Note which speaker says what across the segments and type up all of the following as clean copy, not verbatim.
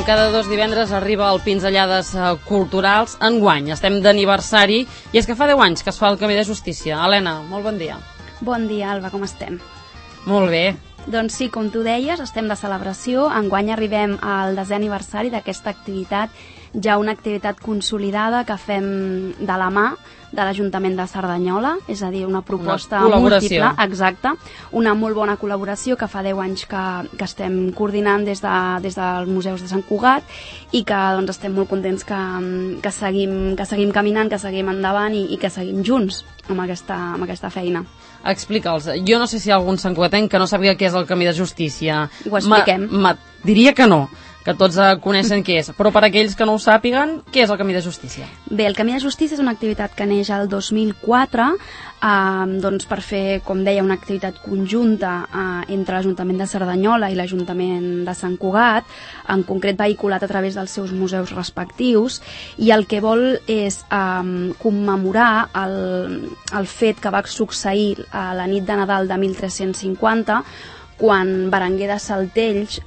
Speaker 1: cada 2 divendres arriba el Pinzellades Culturals. Enguany estem d'aniversari i és que fa 10 anys que es fa el Camí de Justícia. Helena, molt bon dia.
Speaker 2: Bon dia, Alba, com estem?
Speaker 1: Molt bé.
Speaker 2: Doncs sí, com tu deies, estem de celebració. Enguany arribem al 10è aniversari d'aquesta activitat, ja una activitat consolidada que fem de la mà de l'Ajuntament de Cerdanyola, és a dir, una proposta múltiple, exacte, una molt bona col·laboració que fa 10 anys que estem coordinant des dels museus de Sant Cugat i que doncs, estem molt contents que seguim caminant, que seguim endavant i que seguim junts amb aquesta feina.
Speaker 1: Explica'ls. Jo no sé si hi ha algun santcugatenc que no sàpiga què és el Camí de Justícia.
Speaker 2: Ho expliquem.
Speaker 1: Diria que no, que tots coneixen què és, però per aquells que no ho sàpiguen, què és el Camí de Justícia?
Speaker 2: Bé, el Camí de Justícia és una activitat que neix el 2004 doncs per fer, com deia, una activitat conjunta entre l'Ajuntament de Cerdanyola i l'Ajuntament de Sant Cugat, en concret vehiculat a través dels seus museus respectius, i el que vol és commemorar el fet que va succeir a la nit de Nadal de 1350, quan Berenguer de Saltells,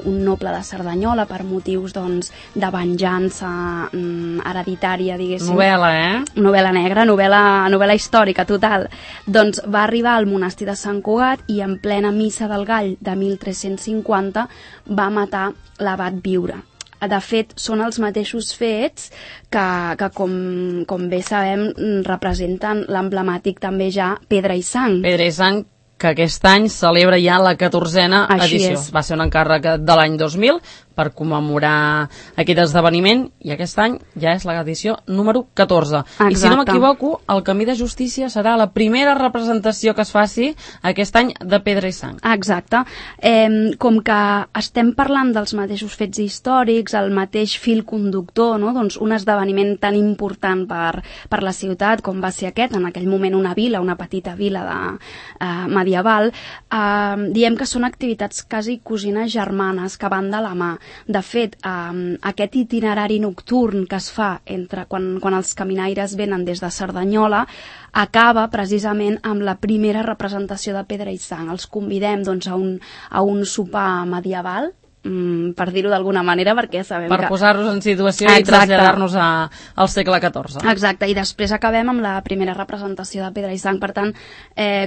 Speaker 2: un noble de Cerdanyola, per motius doncs, de venjança hereditària, diguéssim.
Speaker 1: Novel·la,
Speaker 2: Novel·la negra, novel·la històrica, total. Doncs va arribar al monestir de Sant Cugat i en plena missa del Gall de 1350 va matar l'abat Viure. De fet, són els mateixos fets que com bé sabem, representen l'emblemàtic també ja Pedra i Sang.
Speaker 1: Pedra i Sang, que aquest any celebra ja la 14a edició. Va ser un encàrrec de l'any 2000 per commemorar aquest esdeveniment i aquest any ja és l'edició número 14.
Speaker 2: Exacte.
Speaker 1: I si no m'equivoco, el Camí de Justícia serà la primera representació que es faci aquest any de Pedra i Sang.
Speaker 2: Exacte. Com que estem parlant dels mateixos fets històrics, el mateix fil conductor, no? Doncs un esdeveniment tan important per la ciutat com va ser aquest, en aquell moment una vila, una petita vila medieval, diem que són activitats quasi cosines germanes que van de la mà. De fet, aquest itinerari nocturn que es fa quan els caminaires venen des de Cerdanyola acaba precisament amb la primera representació de Pedra i Sang. Els convidem doncs, a un sopar medieval, per dir-ho d'alguna manera, perquè sabem
Speaker 1: per posar-nos en situació. Exacte. I traslladar-nos al segle XIV.
Speaker 2: Exacte, i després acabem amb la primera representació de Pedra i Sang. Per tant,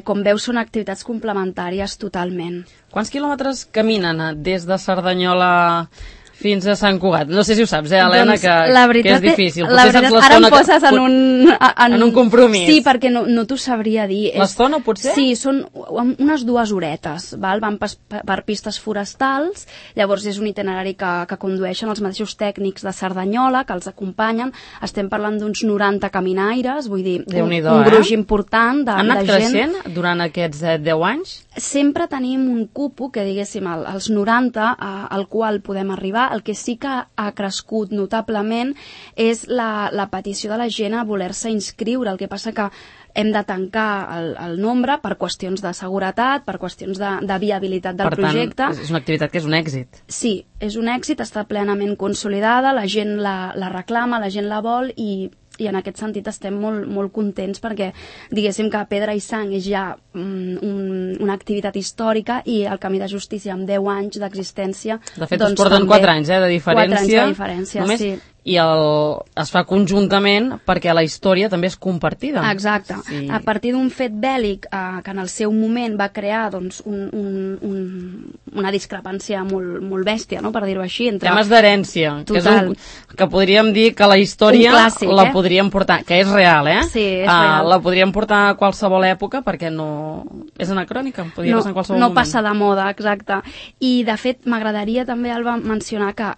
Speaker 2: com veus, són activitats complementàries totalment.
Speaker 1: Quants quilòmetres caminen des de Cerdanyola fins a Sant Cugat? No sé si ho saps, Helena,
Speaker 2: doncs,
Speaker 1: que és difícil.
Speaker 2: La veritat, ara em poses en
Speaker 1: un compromís.
Speaker 2: Sí, perquè no t'ho sabria dir.
Speaker 1: L'estona, potser?
Speaker 2: Sí, són unes 2 horetes, val? Van per pistes forestals, llavors és un itinerari que condueixen els mateixos tècnics de Cerdanyola, que els acompanyen. Estem parlant d'uns 90 caminaires, vull dir, un gruix important de gent.
Speaker 1: Han anat creixent durant aquests 10 anys?
Speaker 2: Sempre tenim un cupo, que diguéssim, als 90, al qual podem arribar. El que sí que ha crescut notablement és la petició de la gent a voler-se inscriure. El que passa que hem de tancar el nombre per qüestions de seguretat, per qüestions de viabilitat del projecte.
Speaker 1: Per tant, és una activitat que és un èxit.
Speaker 2: Sí, és un èxit, està plenament consolidada, la gent la reclama, la gent la vol i en aquest sentit estem molt contents perquè diguéssim que Pedra i Sang és ja una activitat històrica i el Camí de Justícia amb 10 anys d'existència.
Speaker 1: De fet, es porten 4 anys de diferència.
Speaker 2: 4 anys de diferència,
Speaker 1: només,
Speaker 2: sí.
Speaker 1: I es fa conjuntament perquè la història també és compartida.
Speaker 2: Exacte.
Speaker 1: Sí.
Speaker 2: A partir d'un fet bèl·lic que en el seu moment va crear doncs, una discrepància molt bèstia, no? Per dir-ho així.
Speaker 1: Temes d'herència, que podríem dir que la història
Speaker 2: clàssic,
Speaker 1: la podríem portar, que és real,
Speaker 2: Sí, és real.
Speaker 1: La podríem portar a qualsevol època perquè no és anacrònica, podria passar en qualsevol moment.
Speaker 2: No passa de moda, exacte. I de fet m'agradaria també, Alba, mencionar que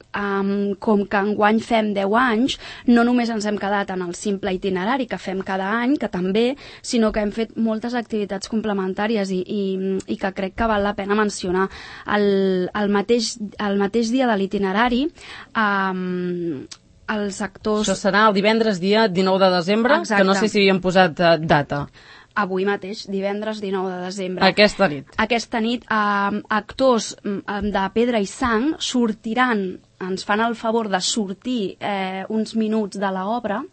Speaker 2: com que enguany fem 10 anys, no només ens hem quedat en el simple itinerari que fem cada any, que també, sinó que hem fet moltes activitats complementàries i que crec que val la pena mencionar. El mateix dia de l'itinerari, els actors...
Speaker 1: Això serà el divendres dia 19 de desembre,
Speaker 2: exacte.
Speaker 1: Que no sé si havíem posat data.
Speaker 2: Avui mateix, divendres 19 de desembre.
Speaker 1: Aquesta nit.
Speaker 2: Aquesta nit, actors de Pedra i Sang sortiran, ens fan el favor de sortir uns minuts de l'obra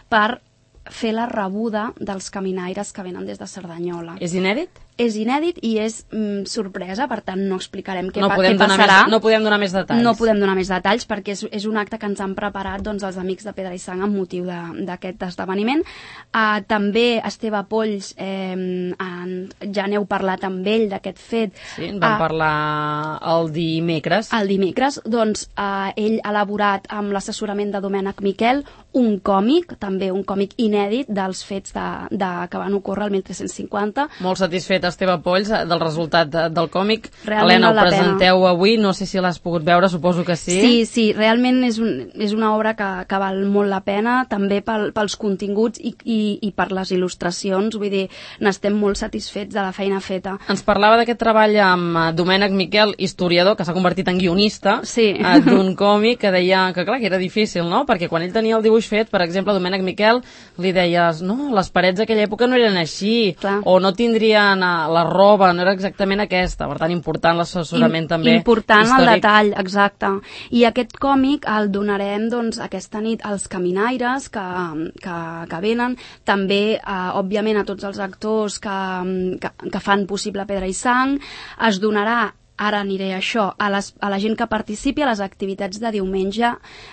Speaker 2: per fer la rebuda dels caminaires que venen des de Cerdanyola.
Speaker 1: És inèdit?
Speaker 2: és inèdit i és sorpresa, per tant no explicarem què passarà.
Speaker 1: No podem donar més detalls.
Speaker 2: No podem donar més detalls perquè és un acte que ens han preparat doncs, els amics de Pedra i Sang amb motiu d'aquest esdeveniment. També Esteve Polls, ja n'heu parlat amb ell d'aquest fet.
Speaker 1: Sí, en vam parlar el dimecres.
Speaker 2: El dimecres, doncs ell ha elaborat amb l'assessorament de Domènec Miquel un còmic, també un còmic inèdit dels fets que van ocórrer el 1350.
Speaker 1: Molt satisfet Esteve Polls del resultat del còmic. Realment Helena, ho presenteu avui, no sé si l'has pogut veure, suposo que sí.
Speaker 2: Sí, realment és una obra que val molt la pena, també pels continguts i per les il·lustracions, vull dir, n'estem molt satisfets de la feina feta.
Speaker 1: Ens parlava d'aquest treball amb Domènec Miquel, historiador, que s'ha convertit en guionista d'un còmic, que deia que clar, que era difícil, no? Perquè quan ell tenia el dibuix fet, per exemple, Domènec Miquel li deies, no, les parets d'aquella època no eren així, o no tindrien la roba, no era exactament aquesta, per tant, important l'assessorament també
Speaker 2: important
Speaker 1: històric.
Speaker 2: El detall, exacte. I aquest còmic el donarem doncs, aquesta nit als caminaires que venen, també, òbviament, a tots els actors que fan possible Pedra i Sang. Es donarà, ara aniré a això, a la gent que participi a les activitats de diumenge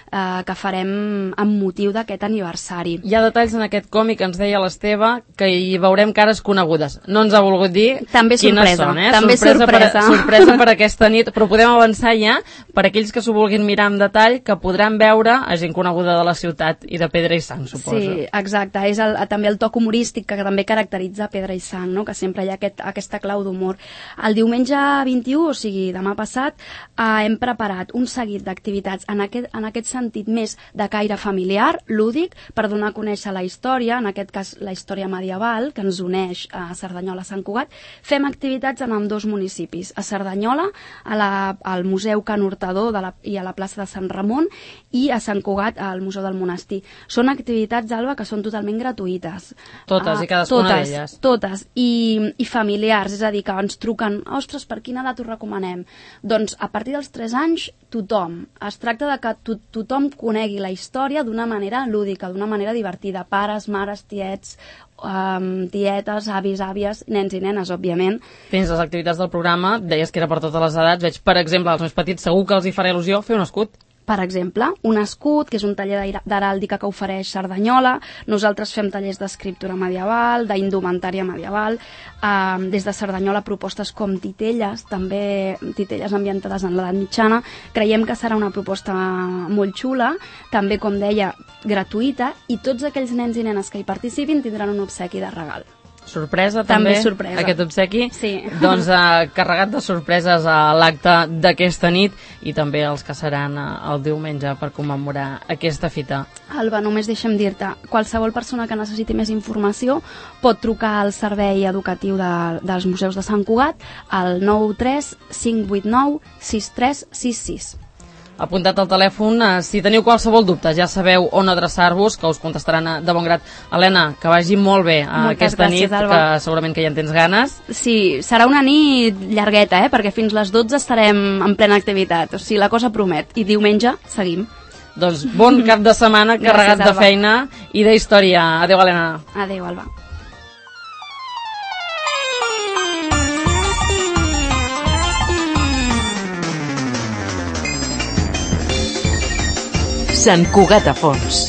Speaker 2: que farem amb motiu d'aquest aniversari.
Speaker 1: Hi ha detalls en aquest còmic, ens deia l'Esteve, que hi veurem cares conegudes. No ens ha volgut dir
Speaker 2: també
Speaker 1: quines són.
Speaker 2: També
Speaker 1: sorpresa per aquesta nit, però podem avançar ja per aquells que s'ho vulguin mirar amb detall, que podran veure a gent coneguda de la ciutat i de Pedra i Sang, suposo.
Speaker 2: Sí, exacte. És també el toc humorístic que també caracteritza Pedra i Sang, no? Que sempre hi ha aquesta clau d'humor. El diumenge 21, o sigui, demà passat, hem preparat un seguit d'activitats en aquest sentit més de caire familiar, lúdic, per donar a conèixer la història, en aquest cas la història medieval, que ens uneix a Cerdanyola, a Sant Cugat. Fem activitats en ambdós municipis, a Cerdanyola, al Museu Can Hurtador i a la plaça de Sant Ramon, i a Sant Cugat, al Museu del Monestir. Són activitats, Alba, que són totalment gratuïtes.
Speaker 1: Totes i cadascuna d'elles.
Speaker 2: Totes, i familiars, és a dir, que ens truquen, ostres, per quina edat ho recomanem? Doncs a partir dels 3 anys, tothom. Es tracta de que tothom conegui la història d'una manera lúdica, d'una manera divertida. Pares, mares, tietes, avis, àvies, nens i nenes, òbviament.
Speaker 1: Fins les activitats del programa, deies que era per totes les edats. Veig, per exemple, als més petits segur que els hi farà il·lusió fer un escut.
Speaker 2: Per exemple, un escut, que és un taller d'heràldica que ofereix Cerdanyola. Nosaltres fem tallers d'escriptura medieval, d'indumentària medieval. Des de Cerdanyola propostes com titelles, també titelles ambientades en l'edat mitjana. Creiem que serà una proposta molt xula, també, com deia, gratuïta, i tots aquells nens i nenes que hi participin tindran un obsequi de regal.
Speaker 1: Sorpresa, també
Speaker 2: sorpresa.
Speaker 1: Aquest obsequi.
Speaker 2: Sí.
Speaker 1: Doncs carregat de sorpreses a l'acte d'aquesta nit i també els que seran el diumenge per commemorar aquesta fita.
Speaker 2: Alba, només deixa'm dir-te, qualsevol persona que necessiti més informació pot trucar al servei educatiu dels museus de Sant Cugat al 93 589 6366.
Speaker 1: Apuntat al telèfon, si teniu qualsevol dubte, ja sabeu on adreçar-vos, que us contestaran de bon grat. Helena, que vagi molt bé aquesta nit, Alba. Que segurament que ja en tens ganes.
Speaker 2: Sí, serà una nit llargueta, perquè fins les 12 estarem en plena activitat, o sigui, la cosa promet, i diumenge seguim.
Speaker 1: Doncs bon cap de setmana carregat de feina i d'història. Adéu, Helena.
Speaker 2: Adéu, Alba.
Speaker 3: Sant Cugat a fons.